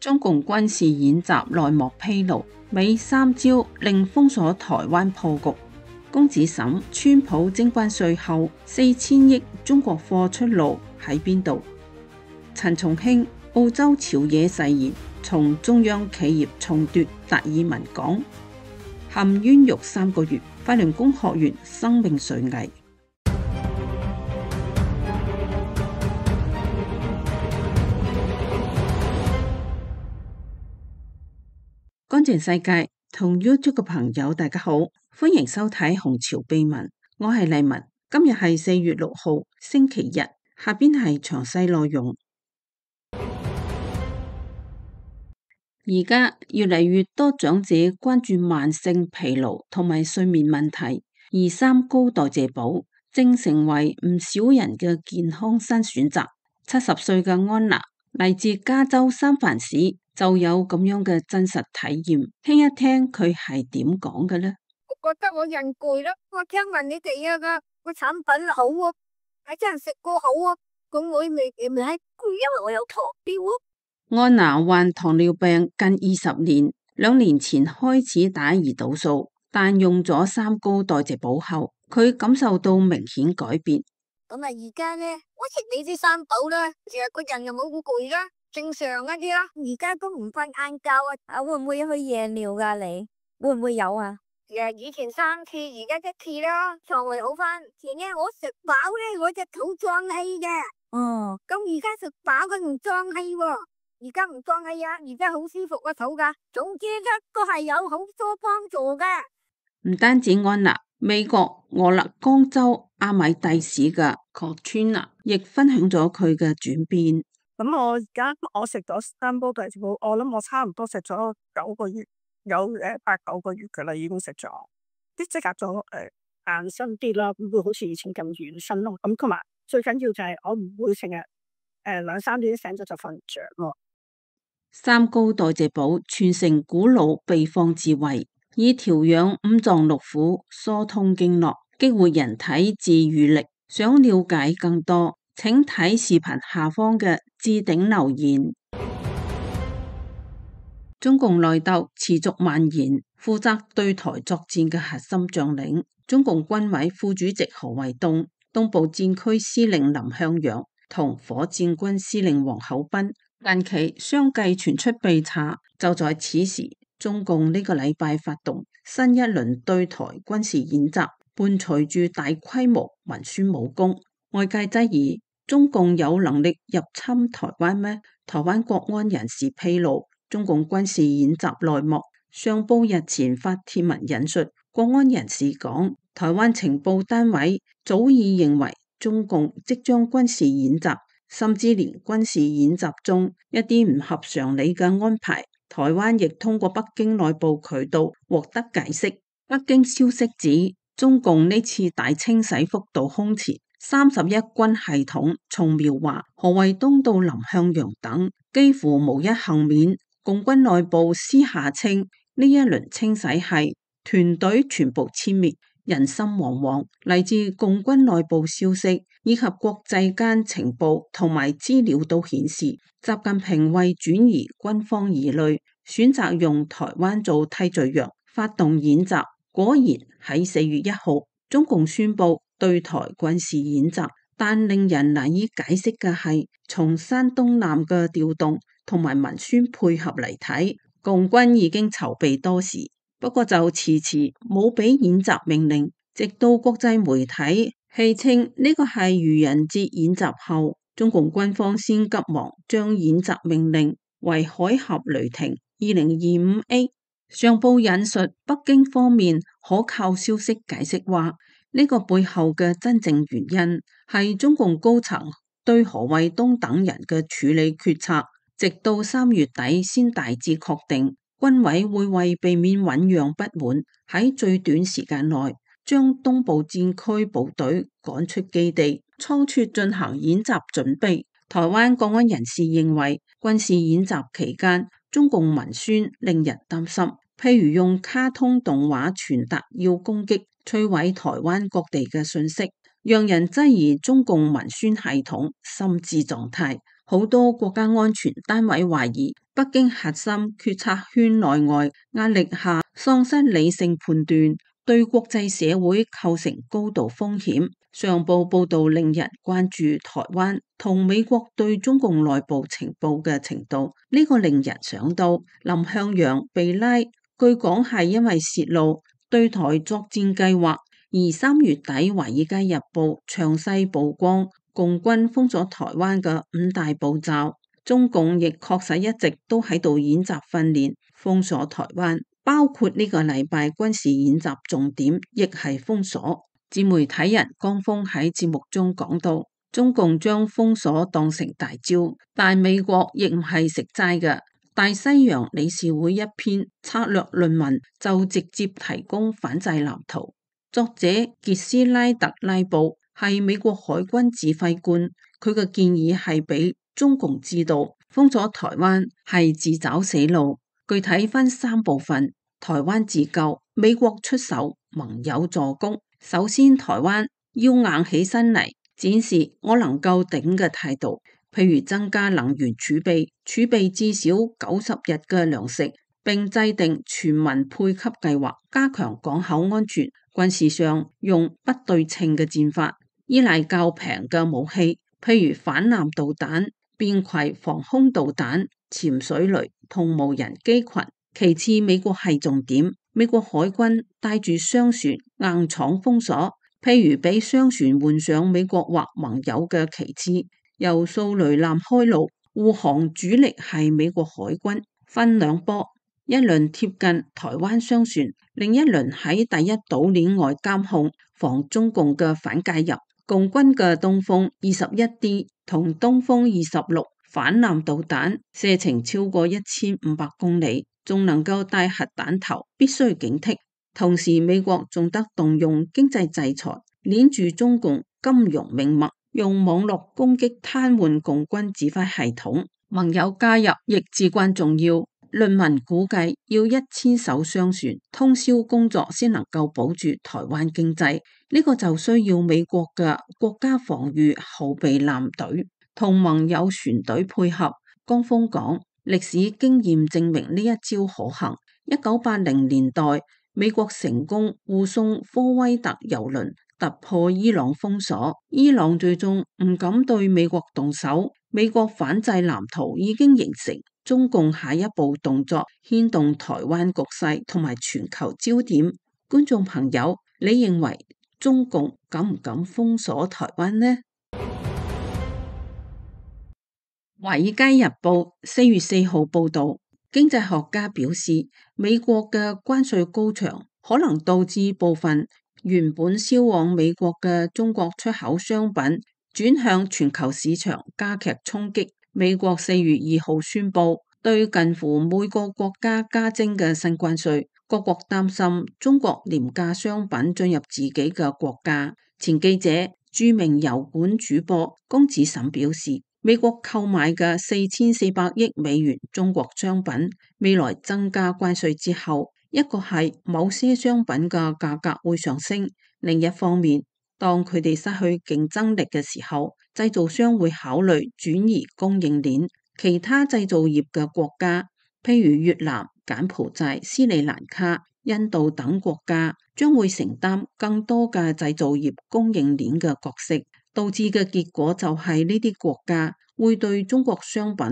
中共軍事演習內幕披露，美3招令封鎖台灣破局。公子沈，川普徵關稅後4000億中國貨出路喺邊度？陳松興，澳洲朝野誓言從中央企業重奪達爾文港，陷冤獄3個月，法輪功學員生命垂危。乾淨世界同 YouTube 嘅朋友大家好，歡迎收睇紅潮秘聞，我係麗文。今日係4月6號星期日，下邊係詳細內容。而家越嚟越多長者關注慢性疲勞同埋睡眠問題，而3高代謝寶正成為唔少人嘅健康新選擇。70歲嘅安娜嚟自加州三藩市，就有咁樣嘅真實體驗，聽一聽佢係點講嘅呢？我覺得我人攰咯，我聽聞你哋個產品好啊，係真係食過好啊，咁我未攰，因為我有糖尿啊。安娜患糖尿病近20年，2年前開始打胰島素，但用咗3高代謝寶後，佢感受到明顯改變。咁啊，而家呢，我食你啲3寶啦，成日個人又冇好攰啦，正常一啲啦。而家都唔瞓晏覺啊，會唔會去夜尿噶？你會唔會有啊？以前3次，而家1次啦，腸胃好翻。前呢我食飽呢，我隻肚脹氣嘅。哦，咁而家食飽佢唔脹氣喎，而家唔脹氣啊，而家好舒服個肚噶。總之呢都係有好多幫助嘅。唔單止安娜，美國俄勒岡州阿米蒂市嘅Katrina亦分享咗佢嘅轉變。咁我而家食咗3煲代謝寶，我諗我差唔多食咗9個月，有8、9個月噶啦，已經食咗，啲即刻咗硬身啲啦，唔會好似以前咁軟身咯。咁同埋最緊要就係我唔會成日2、3點醒咗就瞓唔着咯。3高代謝寶傳承古老秘方智慧，以調養五臟六腑、疏通經絡、激活人體自癒力。想了解更多，請睇視頻下方嘅置頂留言。中共內鬥持續蔓延，負責對台作戰嘅核心將領，中共軍委副主席何衛東、東部戰區司令林向陽同火箭軍司令王厚斌近期相繼傳出被查。就在此時，中共呢個禮拜發動新一輪對台軍事演習，伴隨住大規模文宣武功，外界質疑中共有能力入侵台灣咩？台灣國安人士披露，中共軍事演習內幕，上報日前發帖文引述國安人士講，台灣情報單位早已認為中共即將軍事演習，甚至連軍事演習中一啲唔合常理嘅安排，台灣亦通過北京內部渠道獲得解釋。北京消息指，中共呢次大清洗幅度空前，31軍系統從苗華、何衛東到林向陽等幾乎無一幸免。共軍內部私下稱，呢一輪清洗係團隊全部殲滅，人心惶惶。嚟自共軍內部消息以及國際間情報同埋資料都顯示，習近平為轉移軍方疑慮，選擇用台灣做替罪羊，發動演習。果然喺4月1號，中共宣布對台軍事演習，但令人難以解釋嘅係，從山東艦嘅調動同埋文宣配合嚟睇，共軍已經籌備多時，不過就遲遲冇俾演習命令，直到國際媒體戲稱呢個係愚人節演習後，中共軍方先急忙將演習命令為海峽雷霆 2025A。上報引述北京方面可靠消息解釋話，呢個背後嘅真正原因係中共高層對何衛東等人嘅處理決策，直到3月底先大致確定，軍委會為避免醞釀不滿，喺最短時間內將東部戰區部隊趕出基地，倉促進行演習準備。台灣國安人士認為，軍事演習期間中共文宣令人擔心，譬如用卡通動畫傳達要攻擊、摧毀台灣各地嘅信息，讓人質疑中共文宣系統心智狀態。好多國家安全單位懷疑北北京核心決策圈內外壓力下喪失理性判斷，對國際社會構成高度風險。上報報道令人關注台灣同美國對中共內部情報嘅程度，呢個令人想到林向陽被拉，據講係因為泄露對台作戰計劃。而3月底《華爾街日報》詳細曝光共軍封鎖台灣嘅5大步驟，中共亦確實一直都喺度演習訓練封鎖台灣，包括呢個禮拜軍事演習重點亦係封鎖。自媒體人江峰喺節目中講到，中共將封鎖當成大招，但美國亦唔係食齋嘅。大西洋理事會一篇策略論文就直接提供反制藍圖。作者傑斯拉特拉布係美國海軍指揮官，佢嘅建議係俾中共知道封鎖台灣係自找死路，具體分3部分：台灣自救、美國出手、盟友助攻。首先，台灣要硬起身嚟，展示我能夠頂嘅態度，譬如增加能源儲備至少90日嘅糧食，並制定全民配給計劃，加強港口安全。軍事上用不對稱嘅戰法，依賴較平嘅武器，譬如反艦導彈、便攜防空導彈、潛水雷同無人機群。其次，美國係重點，美國海軍帶住商船硬闖封鎖，譬如俾商船換上美國或盟友嘅旗幟，由掃雷艦開路，護航主力係美國海軍，分2波。一輪貼近台灣商船，另一輪喺第一島鏈外監控，防中共嘅反介入。共軍嘅東風21D 同東風26反艦導彈射程超過1500公里，仲能夠帶核彈頭，必須警惕。同時，美國仲得動用經濟制裁，鏈住中共金融命脈，用網絡攻擊癱瘓共軍指揮系統。盟友加入亦至關重要。論文估計要1000艘商船通宵工作先能夠保住台灣經濟，呢個就需要美國嘅國家防禦後備艦隊同盟友船隊配合。江峰講，歷史經驗證明呢一招可行。1980年代，美國成功護送科威特郵輪突破伊朗封鎖，伊朗最終唔敢對美國動手，美國反制藍圖已經形成。中共下一步動作牽動台灣局勢同埋全球焦點。觀眾朋友，你認為中共敢唔敢封鎖台灣呢？華爾街日報4月4號報道，經濟學家表示，美國嘅關稅高漲可能導致部分原本銷往美國嘅中國出口商品轉向全球市場，加劇衝擊。美國4月2號宣布對近乎每個國家加徵嘅新關稅，各國擔心中國廉價商品進入自己嘅國家。前記者、著名油管主播龔子沈表示，美國購買嘅4400億美元中國商品，未來增加關稅之後，一個係某些商品嘅價格會上升，另一方面，當佢哋失去競爭力嘅時候，製造商會考慮轉移供應鏈。其他製造業嘅國家，譬如越南、柬埔寨、斯里蘭卡、印度等國家，將會承擔更多嘅製造業供應鏈嘅角色，導致嘅結果就係呢啲國家會對中國商品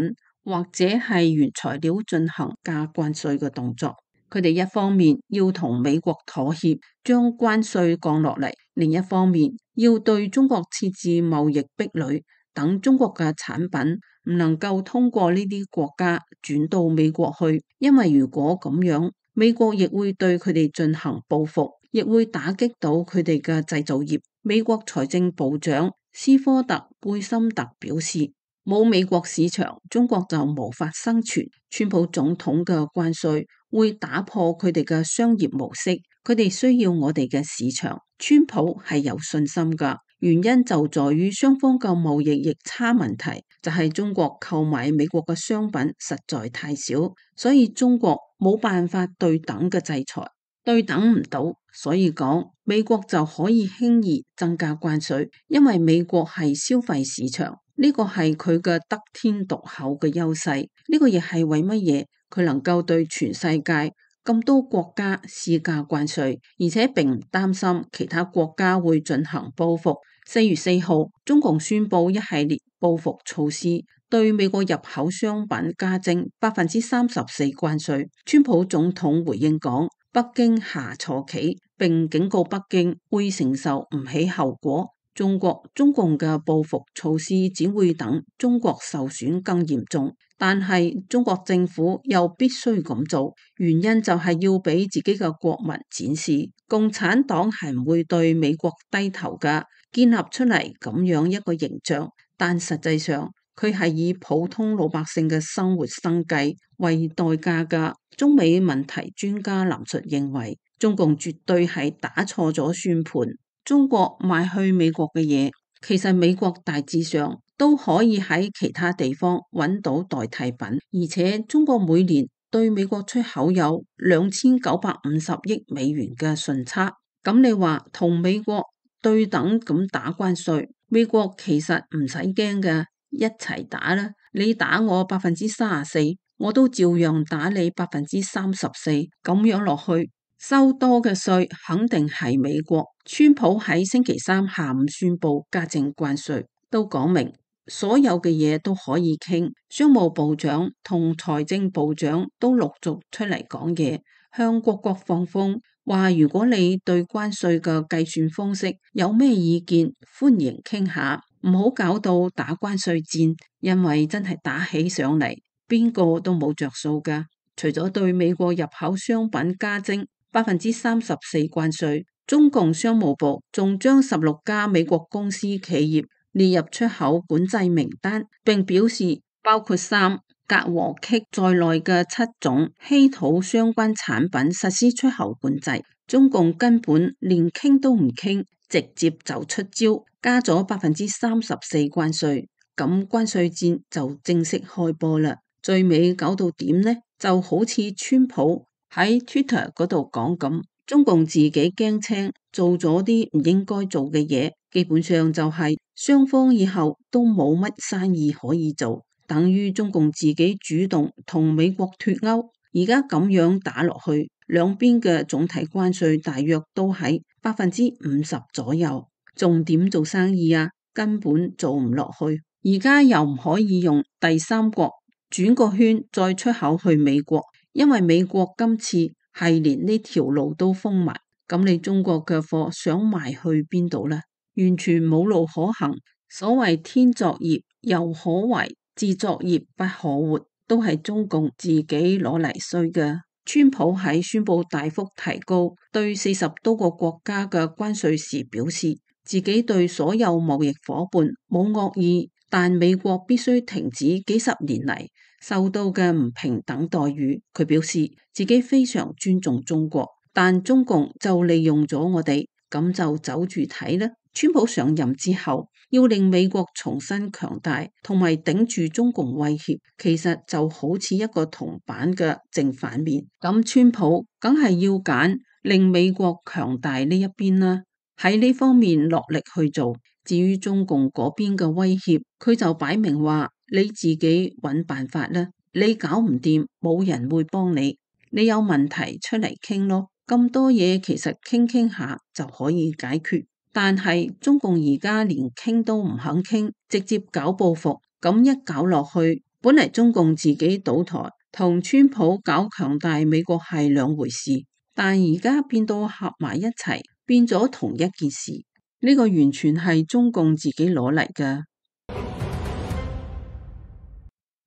或者係原材料進行加關稅嘅動作。佢哋一方面要同美國妥協，將關稅降落嚟，另一方面要對中國設置貿易壁壘，等中國嘅產品唔能夠通過呢啲國家轉到美國去，因為如果咁樣，美國亦會對佢哋進行報復，亦會打擊到佢哋嘅製造業。美國財政部長斯科特貝森特表示，冇美國市場，中國就無法生存。川普總統嘅關稅會打破佢哋嘅商業模式，佢哋需要我哋嘅市場。川普係有信心㗎，原因就在於雙方嘅貿易逆差問題，就係中國購買美國嘅商品實在太少，所以中國冇辦法對等嘅制裁，對等唔到，所以講美國就可以輕易增加關稅，因為美國係消費市場。呢個係佢嘅得天獨厚嘅優勢，呢個亦係為乜嘢佢能夠對全世界咁多國家施加關稅，而且並唔擔心其他國家會進行報復。4月4號，中共宣布一系列報復措施，對美國入口商品加徵34%關稅。川普總統回應講，北京下錯棋，並警告北京會承受唔起後果。中共嘅報復措施只會等中國受損更嚴重，但係中國政府又必須咁做，原因就係要俾自己嘅國民展示共產黨係唔會對美國低頭㗎，建立出嚟咁樣一個形象。但實際上佢係以普通老百姓嘅生活生計為代價㗎。中美問題專家林述認為，中共絕對係打錯咗算盤。中國賣去美國嘅嘢，其實美國大致上都可以喺其他地方揾到代替品，而且中國每年對美國出口有2950億美元嘅順差。咁你話同美國對等咁打關稅，美國其實唔使驚嘅，一齊打啦！你打我34%，我都照樣打你34%，咁樣落去。收多嘅稅肯定係美國。川普喺星期三下午宣布加徵關稅，都講明所有嘅嘢都可以傾。商務部長同財政部長都陸續出嚟講嘢，向各國放風，話如果你對關稅嘅計算方式有咩意見，歡迎傾下，唔好搞到打關稅戰，因為真係打起上嚟，邊個都冇着數㗎。除咗對美國入口商品加徵34%關稅，中共商務部仲將16家美國公司企業列入出口管制名單，並表示包括鋅、鎘和鋅在內嘅7種稀土相關產品實施出口管制。中共根本連傾都唔傾，直接就出招，加咗34%關稅，咁關稅戰就正式開波啦。最尾搞到點呢？就好似川普喺 Twitter 嗰度講咁，中共自己驚青，做咗啲唔應該做嘅嘢，基本上就係雙方以後都冇乜生意可以做，等於中共自己主動同美國脫歐。而家咁樣打落去，兩邊嘅總體關稅大約都喺50%左右，仲點做生意啊？根本做唔落去。而家又唔可以用第三國轉個圈再出口去美國，因為美國今次係連呢條路都封埋，咁你中國嘅貨想賣去邊度呢？完全冇路可行。所謂天作孽猶可為，自作孽不可活，都係中共自己攞嚟衰嘅。川普喺宣布大幅提高對40多個國家嘅關稅時表示，自己對所有貿易夥伴冇惡意，但美國必須停止幾十年嚟受到嘅唔平等待遇。佢表示自己非常尊重中國，但中共就利用咗我哋，咁就走住睇啦。川普上任之後，要令美國重新強大，同埋頂住中共威脅，其實就好似一個銅板嘅正反面。咁川普梗係要揀令美國強大呢一邊啦，喺呢方面落力去做。至於中共嗰邊嘅威脅，佢就擺明話你自己揾辦法啦，你搞唔掂，冇人會幫你，你有問題出嚟傾咯。咁多嘢其實傾下就可以解決，但係中共而家連傾都唔肯傾，直接搞報復，咁一搞落去，本嚟中共自己倒台，同川普搞強大美國係兩回事，但而家變到合埋一齊，變咗同一件事。呢個完全係中共自己攞嚟㗎。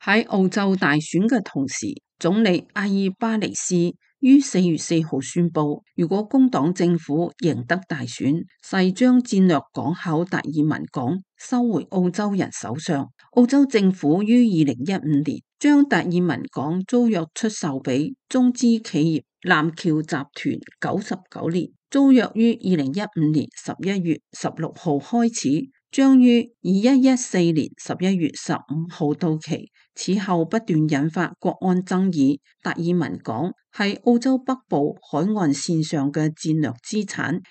喺澳洲大選嘅同時，總理阿爾巴尼斯於4月4號宣布，如果工黨政府贏得大選，誓將戰略港口達爾文港收回澳洲人手上。澳洲政府於2015年將達爾文港租約出售俾中資企業南橋集團99年。租約於2015年11月16號開始，將於2114年11月15號到期。此後不斷引發國安爭議。達爾文港係澳洲北部海岸線上嘅戰略資產，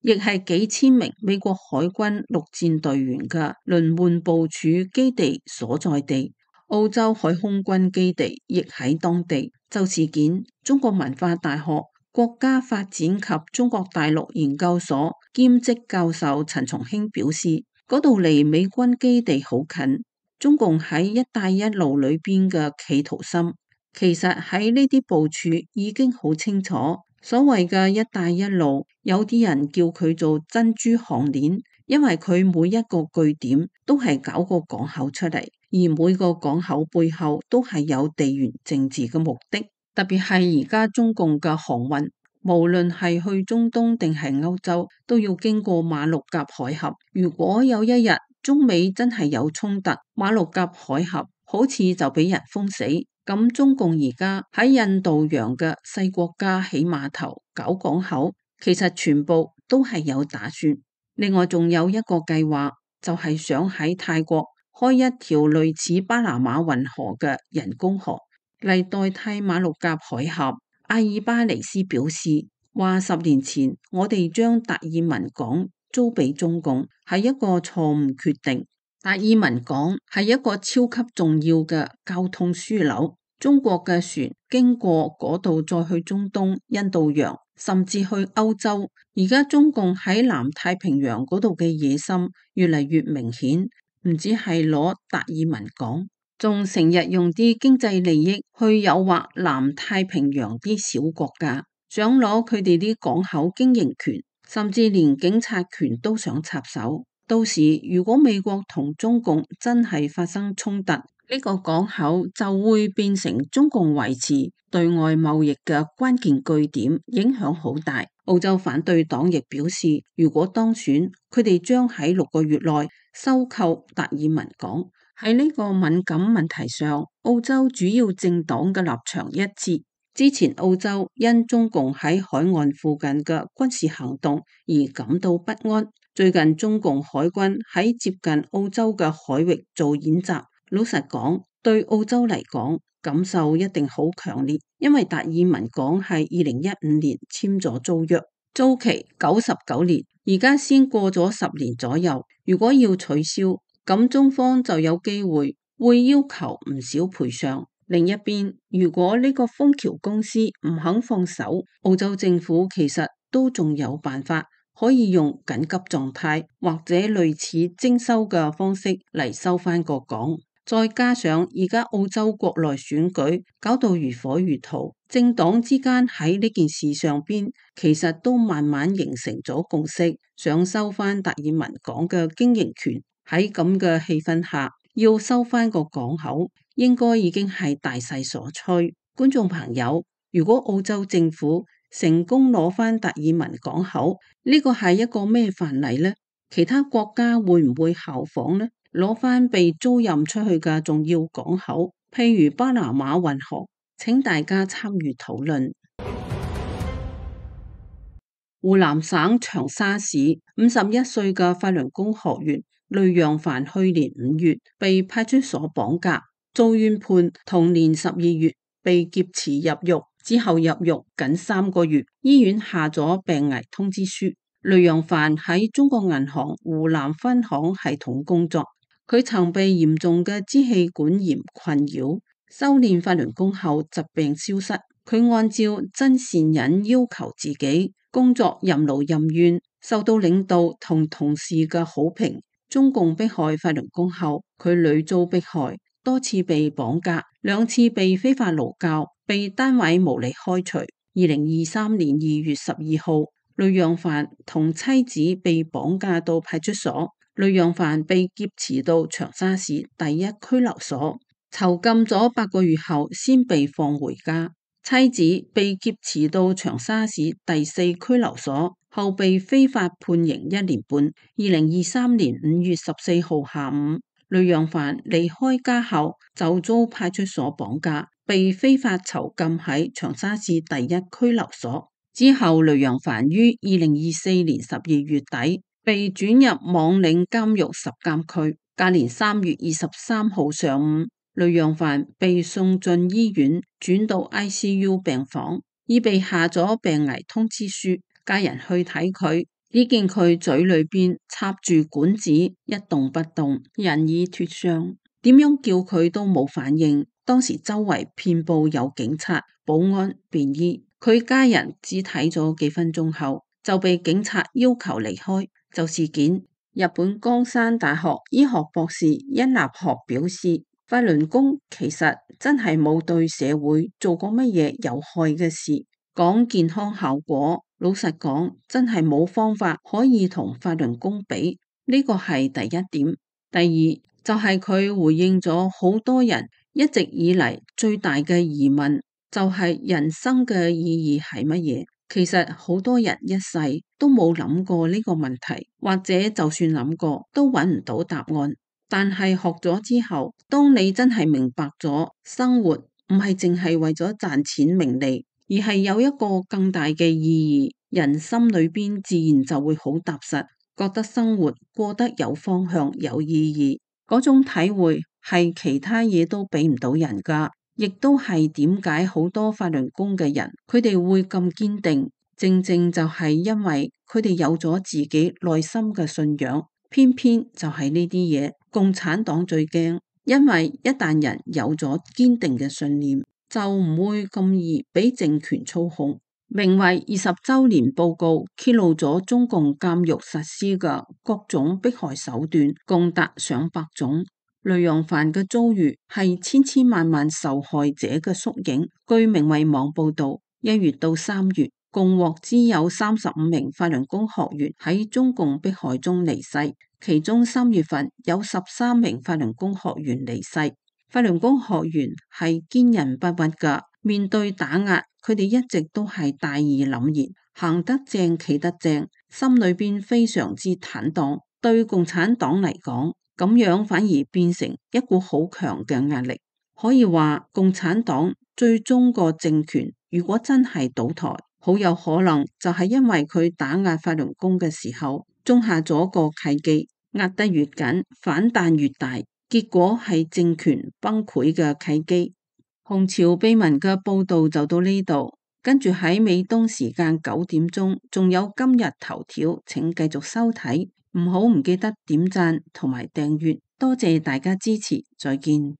亦係幾千名美國海軍陸戰隊員嘅輪換部署基地所在地。澳洲海空軍基地亦喺當地。就事件，中國文化大學國家發展及中國大陸研究所兼職教授陳松興表示，嗰度離美軍基地好近。中共喺一帶一路裏邊嘅企圖心，其實喺呢啲部署已經好清楚。所謂嘅一帶一路，有啲人叫佢做珍珠項鏈，因為佢每一個據點都係搞個港口出嚟。而每個港口背後都係有地緣政治嘅目的，特別係而家中共嘅航運，無論係去中東定係歐洲，都要經過馬六甲海峽。如果有一日中美真係有衝突，馬六甲海峽好似就俾人封死，咁中共而家喺印度洋嘅細國家起碼頭搞港口，其實全部都係有打算。另外仲有一個計劃，就係想喺泰國開一條類似巴拿馬運河嘅人工河嚟代替馬六甲海峽。阿爾巴尼斯表示話，10年前我哋將達爾文港租俾中共係一個錯誤決定。達爾文港係一個超級重要嘅交通樞紐，中國嘅船經過嗰度再去中東、印度洋，甚至去歐洲。而家中共喺南太平洋嗰度嘅野心越嚟越明顯。唔止係攞達爾文港，仲成日用啲經濟利益去誘惑南太平洋啲小國家，想攞佢哋啲港口經營權，甚至連警察權都想插手。到時如果美國同中共真係發生衝突，呢個港口就會變成中共維持對外貿易嘅關鍵據點，影響好大。澳洲反對黨亦表示，如果當選，佢哋將喺6個月內收購達爾文港。喺呢個敏感問題上，澳洲主要政黨嘅立場一致。之前澳洲因中共喺海岸附近嘅軍事行動而感到不安。最近中共海軍喺接近澳洲嘅海域做演習，老實講，對澳洲嚟講，感受一定好強烈，因為達爾文港係2015年簽咗租約，租期99年，而家先過咗10年左右。如果要取消，咁中方就有機會會要求唔少賠償。另一邊，如果呢個豐橋公司唔肯放手，澳洲政府其實都仲有辦法，可以用緊急狀態或者類似徵收嘅方式嚟收翻個港。再加上而家澳洲國內選舉搞到如火如荼，政黨之間喺呢件事上邊其實都慢慢形成咗共識，想收翻達爾文港嘅經營權。喺咁嘅氣氛下，要收翻個港口，應該已經係大勢所趨。觀眾朋友，如果澳洲政府成功攞翻達爾文港口，呢個係一個咩範例呢？其他國家會唔會效仿呢？攞翻被租賃出去嘅重要港口，譬如巴拿馬運河，請大家參與討論。湖南省長沙市51歲嘅法輪功學員雷揚帆去年5月被派出所綁架，遭冤判，同年12月被劫持入獄，之後入獄僅3個月，醫院下咗病危通知書。雷揚帆喺中國銀行湖南分行系統工作。佢曾被嚴重嘅支氣管炎困擾，修煉法輪功後疾病消失。佢按照真善忍要求自己，工作任勞任怨，受到領導同同事嘅好評。中共迫害法輪功後，佢屢遭迫害，多次被綁架，2次被非法勞教，被單位無理開除。2023年2月12號，雷揚帆同妻子被綁架到派出所。雷揚帆被劫持到長沙市第1拘留所，囚禁咗8個月後，先被放回家。妻子被劫持到長沙市第4拘留所，後被非法判刑1年半。2023年5月14號下午，雷揚帆離開家後就遭派出所綁架，被非法囚禁喺長沙市第1拘留所。之後，雷揚帆於2024年12月底，被轉入網嶺監獄10監區。隔年3月23號上午，雷揚帆被送進醫院，轉到 ICU 病房，已被下咗病危通知書。家人去睇佢，只見佢嘴裏邊插住管子，一動不動，人已脫傷，點樣叫佢都冇反應。當時周圍遍佈有警察、保安、便衣，佢家人只睇咗幾分鐘後就被警察要求離開。就事件，日本江山大學醫學博士殷立學表示，法輪功其實真係冇對社會做過乜嘢有害嘅事。講健康效果，老實講，真係冇方法可以同法輪功比，呢個係第一點。第二就係佢回應咗好多人一直以嚟最大嘅疑問，就係人生嘅意義係乜嘢？其實好多人一世都冇諗過呢個問題，或者就算諗過都揾唔到答案。但係學咗之後，當你真係明白咗生活唔係淨係為咗賺錢名利，而係有一個更大嘅意義，人心裏邊自然就會好踏實，覺得生活過得有方向、有意義。嗰種體會係其他嘢都俾唔到人噶，亦都係點解好多法輪功嘅人佢哋會咁堅定，正正就係因為佢哋有咗自己內心嘅信仰。偏偏就係呢啲嘢，共產黨最驚，因為一旦人有咗堅定嘅信念，就唔會咁易俾政權操控。名為20週年報告揭露咗中共監獄實施嘅各種迫害手段，共達上百種。雷洋凡嘅遭遇係千千萬萬受害者嘅縮影。據明慧網報道，1月到3月，共獲知有35名法輪功學員喺中共迫害中離世，其中3月份有13名法輪功學員離世。法輪功學員係堅韌不屈噶，面對打壓，佢哋一直都係大義凜然，行得正企得正，心裏邊非常之坦蕩。對共產黨嚟講，咁樣反而變成一股好強嘅壓力。可以話共產黨最終個政權如果真係倒台，好有可能就係因為佢打壓法輪功嘅時候種下咗個契機，壓得越緊，反彈越大，結果係政權崩潰嘅契機。紅潮秘聞嘅報道就到呢度，跟住喺美東時間9點鐘仲有今日頭條，請繼續收睇，唔記得點讚同埋訂閱，多謝大家支持，再見。